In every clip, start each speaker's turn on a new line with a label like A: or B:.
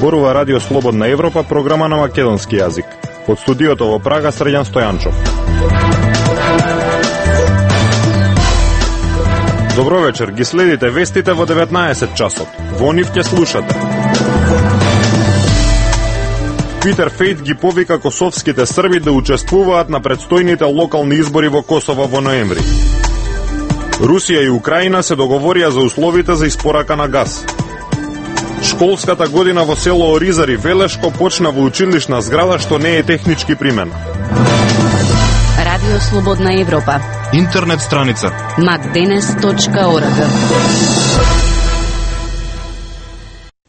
A: зборува Радио Слободна Европа, програма на македонски јазик. Од студиото во Прага, Срđan Стојанчов. Добро вечер, ги следите вестите во 19 часот. Во нив ќе слушате. Питер Фейт ги повика косовските срби да учествуваат на предстојните локални избори во Косово во ноември. Русија и Украина се договорија за условите за испорака на газ. Школската година во село Оризари, Велешко, почна во училишна зграда што не е технички примена.
B: Радио Слободна Европа.
C: Интернет страница
B: macdenes.org.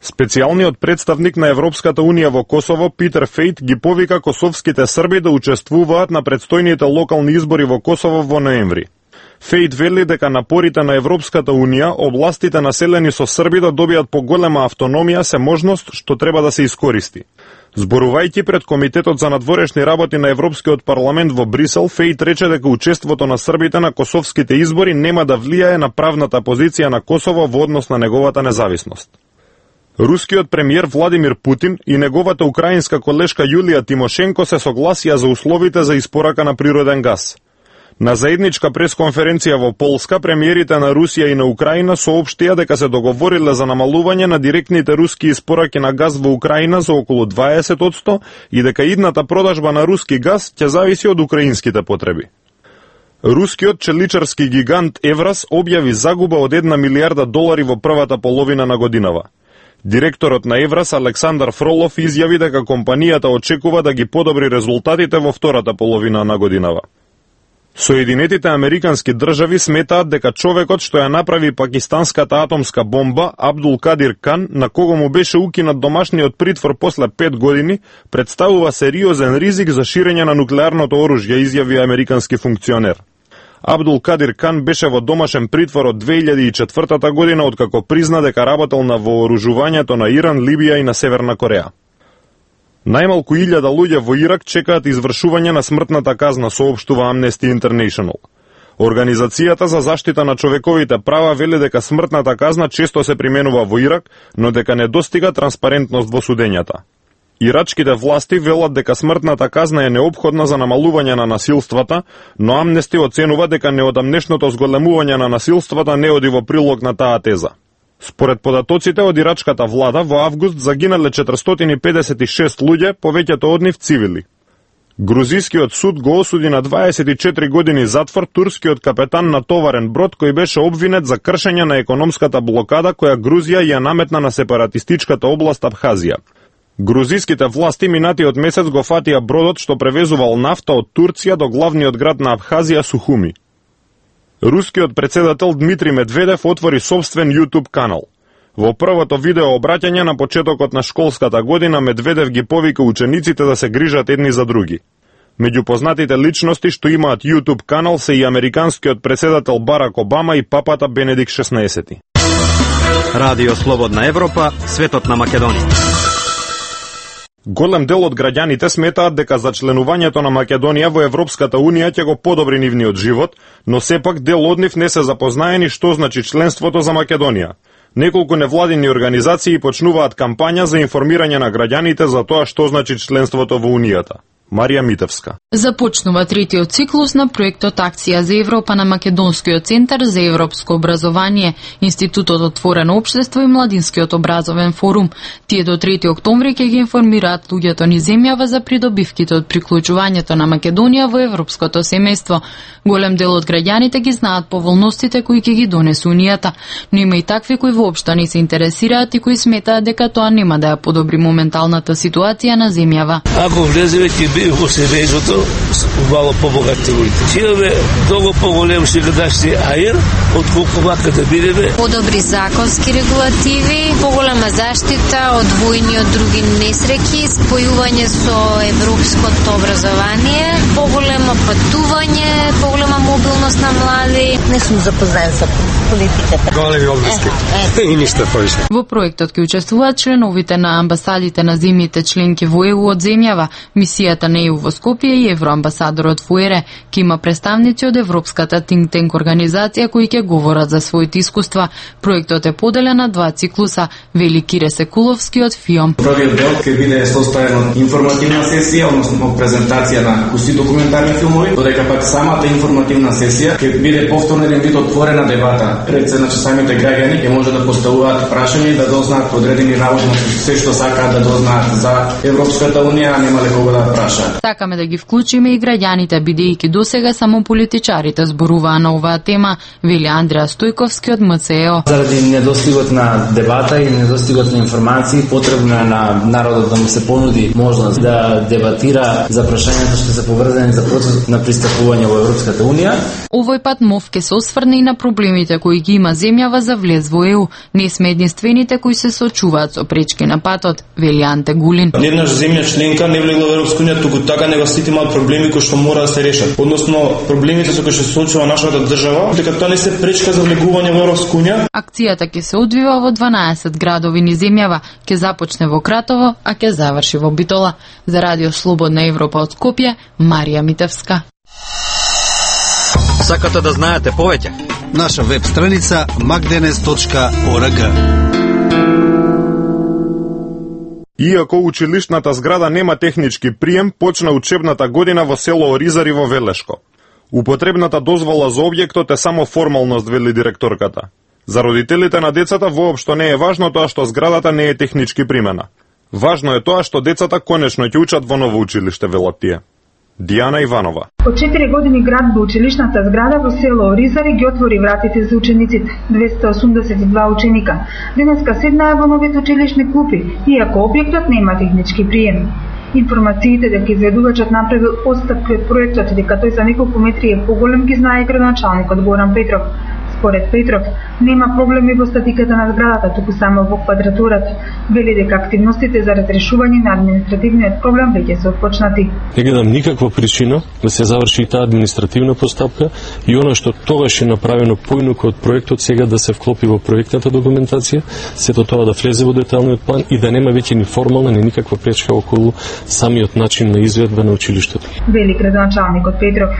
A: Специјалниот представник на Европската Унија во Косово, Питер Фейт, ги повика косовските срби да учествуваат на предстојните локални избори во Косово во ноември. Фейт вели дека напорите на Европската Унија, областите населени со срби да добијат поголема автономија се можност што треба да се искористи. Зборувајќи пред Комитетот за надворешни работи на Европскиот парламент во Брисел, Фейт рече дека учеството на србите на косовските избори нема да влијае на правната позиција на Косово во однос на неговата независност. Рускиот премиер Владимир Путин и неговата украинска колешка Јулија Тимошенко се согласија за условите за испорака на природен газ. На заедничка пресконференција во Полска, премиерите на Русија и на Украина соопштија дека се договориле за намалување на директните руски испораки на газ во Украина за околу 20% и дека идната продажба на руски газ ќе зависи од украинските потреби. Рускиот челичарски гигант Евраз објави загуба од $1 милиарда во првата половина на годинава. Директорот на Евраз Александар Фролов изјави дека компанијата очекува да ги подобри резултатите во втората половина на годинава. Соединетите Американски држави сметаат дека човекот што ја направи пакистанската атомска бомба, Абдул Кадир Кан, на кого му беше укинат домашниот притвор после 5 години, представува сериозен ризик за ширење на нуклеарното оружје, изјави американски функционер. Абдул Кадир Кан беше во домашен притвор од 2004 година, откако призна дека работел на вооружувањето на Иран, Либија и на Северна Кореја. Најмалку 1000 луѓе во Ирак чекаат извршување на смртната казна, соопштува Amnesty International. Организацијата за заштита на човековите права вели дека смртната казна често се применува во Ирак, но дека не достига транспарентност во судењата. Ирачките власти велат дека смртната казна е неопходна за намалување на насилствата, но Amnesty оценува дека неодамнешното зголемување на насилствата не оди во прилог на таа теза. Според податоците од ирачката влада, во август загинале 456 луѓе, повеќето од нив цивили. Грузискиот суд го осуди на 24 години затвор турскиот капетан на товарен брод кој беше обвинет за кршење на економската блокада која Грузија ја наметна на сепаратистичката област Абхазија. Грузиските власти минатиот месец го фатија бродот што превезувал нафта од Турција до главниот град на Абхазија Сухуми. Рускиот председател Дмитрий Медведев отвори собствен YouTube канал. Во првото видео обраќање на почетокот на школската година Медведев ги повика учениците да се грижат едни за други. Меѓу познатите личности што имаат YouTube канал се и американскиот председател Барак Обама и папата Бенедикт XVI.
D: Радио Слободна Европа, светот на Македонија.
A: Голем дел од граѓаните сметаат дека зачленувањето на Македонија во Европската Унија ќе го подобри нивниот живот, но сепак дел од нив не се запознаени што значи членството за Македонија. Неколку невладини организации почнуваат кампања за информирање на граѓаните за тоа што значи членството во Унијата. Марија Митевска.
E: Започнува третиот циклус на проектот Акција за Европа на Македонскиот центар за европско образование, Институтот Отворено општество и Младинскиот образовен форум. Тие до 3 октомври ќе ги информираат луѓето низ земјава за придобивките од приклучувањето на Македонија во европското семејство. Голем дел од граѓаните ги знаат поволностите кои ќе ги донесе Унијата, но има и такви кои воопшто не се интересираат и кои сметаат дека тоа нема да ја подобри моменталната ситуација на земјава.
F: Ако влеземе би во семејството, мало побогати луѓе. Имаме многу поголем шегадашни аер, отколку вака да бидеме.
G: Подобри законски регулативи, поголема заштита од војни од други несреќи, спојување со европското образование, поголемо патување, поголема мобилност на млади.
H: Не сум запознаен со политиката.
I: Големи области. И ништо повеќе.
E: Во проектот ќе учествуваат членовите на амбасадите на земјите членки во ЕУ од земјава. Мисијата посета неју во Скопје и евроамбасадорот Фуере, ки има представници од Европската think tank организација кои ќе говорат за своите искуства. Проектот е поделен на 2 циклуса, вели Кире Секуловски од ФИОМ.
C: Првиот дел ќе биде состоен од информативна сесија, односно презентација на куси документарни филмови, додека пак самата информативна сесија ќе биде повторно еден вид отворена дебата. Пред се, значи, самите граѓани ќе може да поставуваат прашања и да дознаат одредени наводно се што сакаат да дознаат за Европската унија, а нема кого да прашаат.
E: Сакаме да ги вклучиме и граѓаните, бидејќи досега само политичарите зборуваа на оваа тема, вели Андреа Стојковски од МЦЕО.
J: Заради недостигот на дебата и недостигот на информации, потребно е на народот да му се понуди можност да дебатира за прашањата што се поврзани за процесот на пристапување во Европската унија.
E: Овој пат МОВ ке се осврне и на проблемите кои ги има земјава за влез во ЕУ. Не сме единствените кои се соочуваат со пречки на патот, вели Анте Гулин.
K: Еднаш земја членка не влегла во Европска унија, туку така него сите имаат проблеми кои што мора да се решат. Односно, проблемите со кои што се соочува нашата држава, дека тоа не се пречка за влегување во Европска унија.
E: Акцијата ќе се одвива во 12 градови низ земјава, ќе започне во Кратово, а ќе заврши во Битола. За Радио Слободна Европа од Скопје, Марија Митевска.
D: Сакате да знаете повеќе?
L: Наша веб страница magdenes.org.
A: Иако училишната зграда нема технички прием, почна учебната година во село Оризари во Велешко. Употребната дозвола за објектот е само формалност, вели директорката. За родителите на децата воопшто не е важно тоа што зградата не е технички примена. Важно е тоа што децата конечно ќе учат во ново училиште, велат тие. Дијана Иванова.
M: Од 4 години градба училишната зграда во село Оризари ги отвори вратите за учениците. 282 ученика. Денеска седнаа во новите училишни клупи, иако објектот нема технички прием. Информациите дека изведувачот направил отстапки од проектот и дека тој за неколку метри е поголем ги знае градоначалникот Горан Петров. Според Петров, нема проблеми во статиката на зградата, туку само во квадратурата. Вели дека активностите за разрешување на административниот проблем веќе се отпочнати.
N: Не гледам никаква причина да се заврши таа административна постапка и она што тогаш е направено поинука од проектот сега да се вклопи во проектната документација, сето тоа да влезе во деталниот план и да нема веќе ни формална ни никаква пречка околу самиот начин на изведба на училиштето.
M: Вели градоначалникот Петров.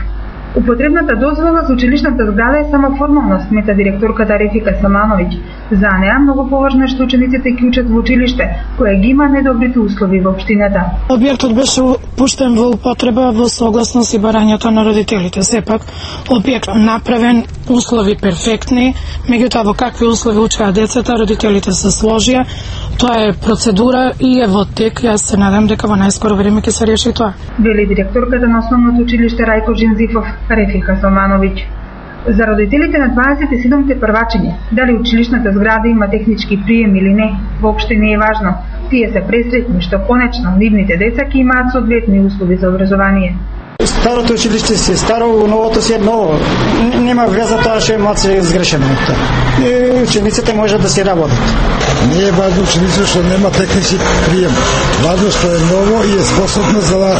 M: Употребната дозвола за училишната зграда е само формална, смета директорката Рефика Самановиќ. За неа многу поважно е што учениците ќе учат во училиште, кое ги има недобрите услови во општината.
O: Објектот беше пуштен во употреба во согласност и барањето на родителите. Сепак, објект направен, услови перфектни, меѓутоа во какви услови учеа децата, родителите се сложија. Тоа е процедура и е во тек. Јас се надам дека во најскоро време ќе се реши тоа.
M: Вели директорката на основното училиште Рајко Джинзифов, Рефика Салмановиќ. За родителите на 27-те првачиња, дали училишната зграда има технички прием или не, воопште не е важно. Тие се пресретни што конечно нивните деца ќе имаат соодветни услови за образование.
P: Старото училиште си е старо, новото си е ново. Нема вреза тоа што имаат се изгрешено. Учениците можат да си работат.
Q: Не е важно учениците што нема технички прием. Важно што е ново и е способно за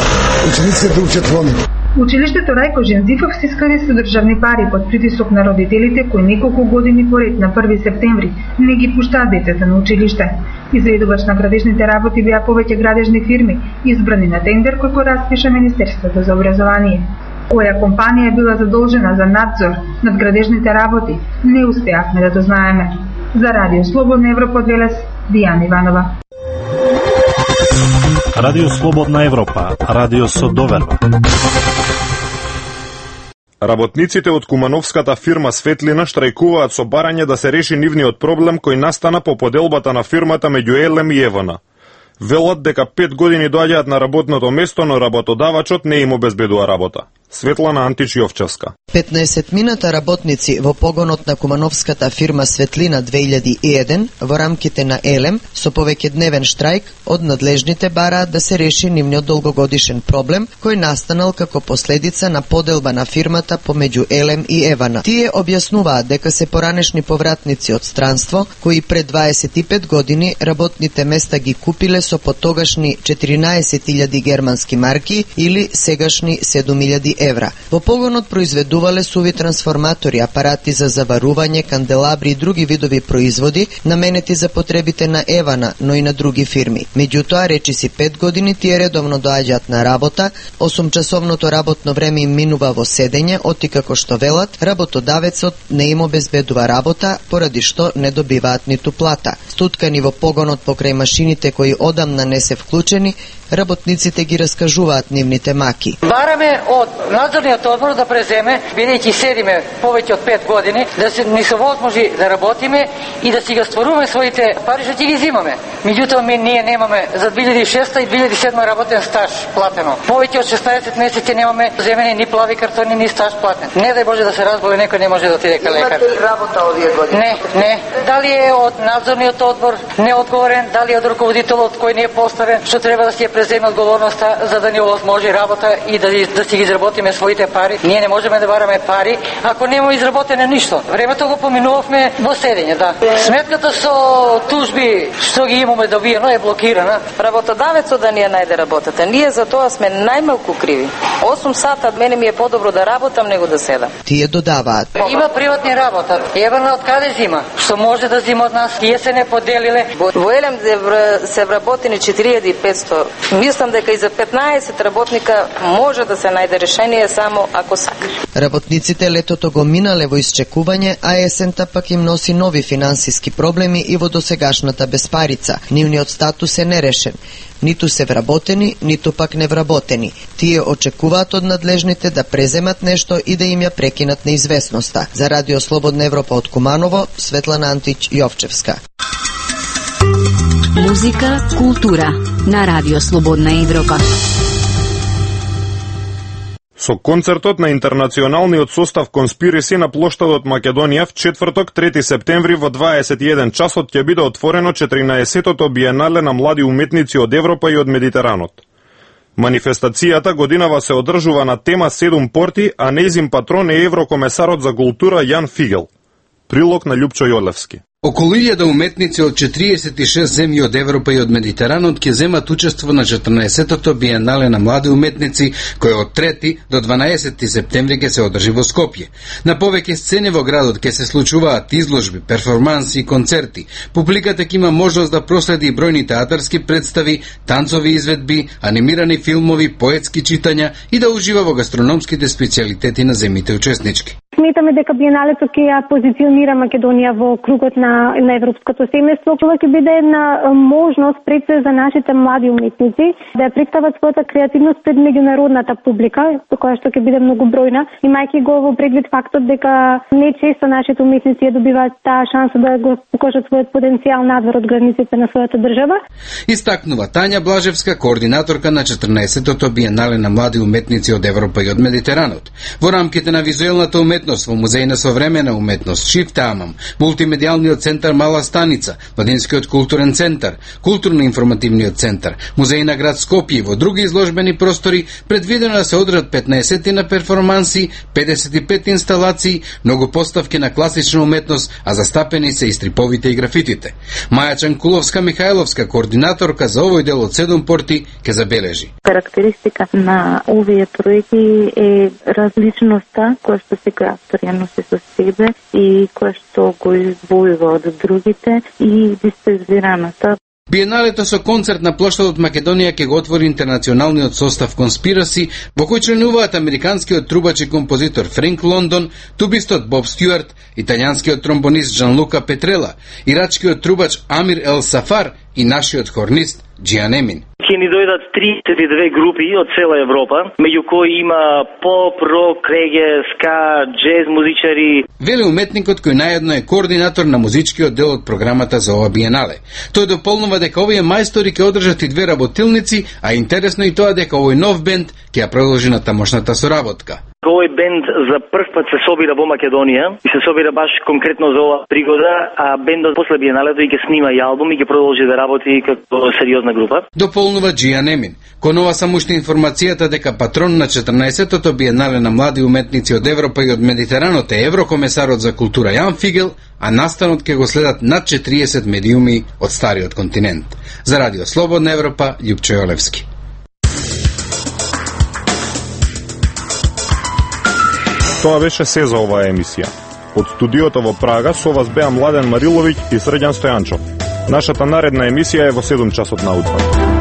Q: учениците да учат во него.
M: Училиштето Рајко Жензифов се искади со државни пари под притисок на родителите кои неколку години поред на 1 септември не ги пуштаат децата на училиште. Изведувач на градежните работи беа повеќе градежни фирми, избрани на тендер кој го распиша Министерството за образование. Која компанија била задолжена за надзор над градежните работи, не успеавме да дознаеме. За Радио Слободна Европа од Велес, Дијана Иванова.
R: Радио Слободна Европа, радио со доверба.
A: Работниците од кумановската фирма Светлина штрајкуваат со барање да се реши нивниот проблем кој настана по поделбата на фирмата меѓу Елем и Евана. Велат дека 5 години доаѓаат на работното место, но работодавачот не им обезбедува работа. Светлана Антич-Јовчевска.
S: 15 мината работници во погонот на кумановската фирма Светлина 2001 во рамките на Елем со повеќедневен штрајк од надлежните бараат да се реши нивниот долгогодишен проблем кој настанал како последица на поделба на фирмата помеѓу Елем и Евана. Тие објаснуваат дека се поранешни повратници од странство кои пред 25 години работните места ги купиле со потогашни 14.000 германски марки или сегашни 7.000 евра. Во погонот произведувале суви трансформатори, апарати за заварување, канделабри и други видови производи наменети за потребите на Евана, но и на други фирми. Меѓутоа, речиси 5 години тие редовно доаѓаат на работа, 8-часовното работно време им минува во седење, оти како што велат, работодавецот не им обезбедува работа, поради што не добиваат ниту плата. Стуткани во погонот покрај машините кои одамна не се вклучени, работниците ги раскажуваат нивните маки.
T: Бараме од надзорниот одбор да преземе, бидејќи седиме повеќе од 5 години, да се ни се возможи да работиме и да си ги стваруваме своите пари, што ќе ги зимаме. Меѓутоа ние немаме за 2006 и 2007 работен стаж платено. Повеќе од 16 месеци немаме земени ни плави картони, ни стаж платен. Не дај Боже да се разболе некој, не може да отиде кај лекар.
S: Имате ли работа овие години?
T: Не. Дали е од надзорниот одбор неодговорен, дали е од руководителот кој не е поставен, што треба да си ја преземе одговорноста за да ни овозможи работа и да си ги изработиме своите пари. Ние не можеме да бараме пари ако нема изработено ништо. Времето го поминувавме во седење, да. Сметката со тужби што ги имаме добиено е блокирана.
U: Работодавецот да ни ја најде работата. Ние за тоа сме најмалку криви. 8 сата мене ми е подобро да работам него да седам.
S: Тие додаваат.
T: Има приватни работа. Евана од каде зима? Што може да зима од нас? Тие се не поделиле.
U: Во Елем се вработени 4500. Мислам дека и за 15 работника може да се најде решение само ако сакаш.
S: Работниците летото го минале во исчекување, а есента пак им носи нови финансиски проблеми и во досегашната безпарица. Нивниот статус е нерешен. Ниту се вработени, ниту пак невработени. Тие очекуваат од надлежните да преземат нешто и да им ја прекинат неизвестноста. За Радио Слободна Европа од Куманово, Светлана Антич Јовчевска.
B: Музика, култура на Радио Слободна Европа.
A: Со концертот на интернационалниот состав Конспираси на плоштадот Македонија в четврток 3 септември во 21 часот ќе биде отворено 14-тото биенале на млади уметници од Европа и од Медитеранот. Манифестацијата годинава се одржува на тема 7 порти, а нејзин патрон е еврокомесарот за култура Јан Фигел. Прилог на Љупчо Јолевски.
V: Околу 1000 уметници од 46 земји од Европа и од Медитеранот ќе земат учество на 14-тото биенале на млади уметници, кој од 3 до 12 септември ќе се одржи во Скопје. На повеќе сцени во градот ќе се случуваат изложби, перформанси и концерти. Публиката ќе има можност да проследи и бројни театарски представи, танцови изведби, анимирани филмови, поетски читања и да ужива во гастрономските специјалитети на земите учеснички.
W: Сметаме дека биеналето ќе ја позиционира Македонија во кругот на европското семејство. Ова ќе биде една можност пред се за нашите млади уметници да ја представат својата креативност пред меѓународната публика, која што ќе биде многу бројна, имајќи го во предвид фактот дека не често нашите уметници ја добиваат таа шанса да го покажат својот потенцијал надвор од границите на својата држава.
V: Истакнува Тања Блажевска, координаторка на 14-тото биенале на млади уметници од Европа и од Медитеранот. Во рамките на визуелната уметност во Музеј на современа уметност Шифте Амам, мултимедијалниот центар Мала Станица, Младинскиот културен центар, културно-информативниот центар, Музеј на град Скопје и во други изложбени простори предвидено да се одржат 15 на перформанси, 55 инсталации, многу поставки на класична уметност, а застапени се и стриповите и графитите. Маја Чанкуловска Михајловска, координаторка за овој дел од 7 порти, ќе забележи.
X: Карактеристика на овие проекти е различноста која што се авторија носи со себе и која што го издвојува од другите и диспезираната.
V: Биеналето со концерт на плоштадот Македонија ќе го отвори интернационалниот состав Конспираси, во кој членуваат американскиот трубач и композитор Френк Лондон, тубистот Боб Стюарт, италијанскиот тромбонист Джанлука Петрела, ирачкиот трубач Амир Ел Сафар и нашиот хорнист Джиан Емин.
Y: Ќе ни дојдат 32 групи од цела Европа, меѓу кои има поп, рок, реге, ска, джез музичари.
V: Вели уметникот кој наедно е координатор на музичкиот дел од програмата за ова биенале. Тој дополнува дека овие мајстори ќе одржат и 2 работилници, а интересно и тоа дека овој нов бенд ќе ја продолжи на тамошната соработка.
Y: Овој бенд за прв пат се собира во Македонија и се собира баш конкретно за оваа пригода, а бендот после биеналето и ќе снима и албум и ќе продолжи да работи како сериозна група.
V: Дополнува Джиан Емин. Кон ова само уште информацијата дека патрон на 14-тото биенале на млади уметници од Европа и од Медитеранот е еврокомесарот за култура Јан Фигел, а настанот ќе го следат над 40 медиуми од стариот континент. За Радио Слободна Европа, Љупчо Јолевски.
A: Тоа беше се за оваа емисија. Од студиото во Прага со вас беа Младен Мариловиќ и Срđan Стојанчов. Нашата наредна емисија е во 7 часот наутро.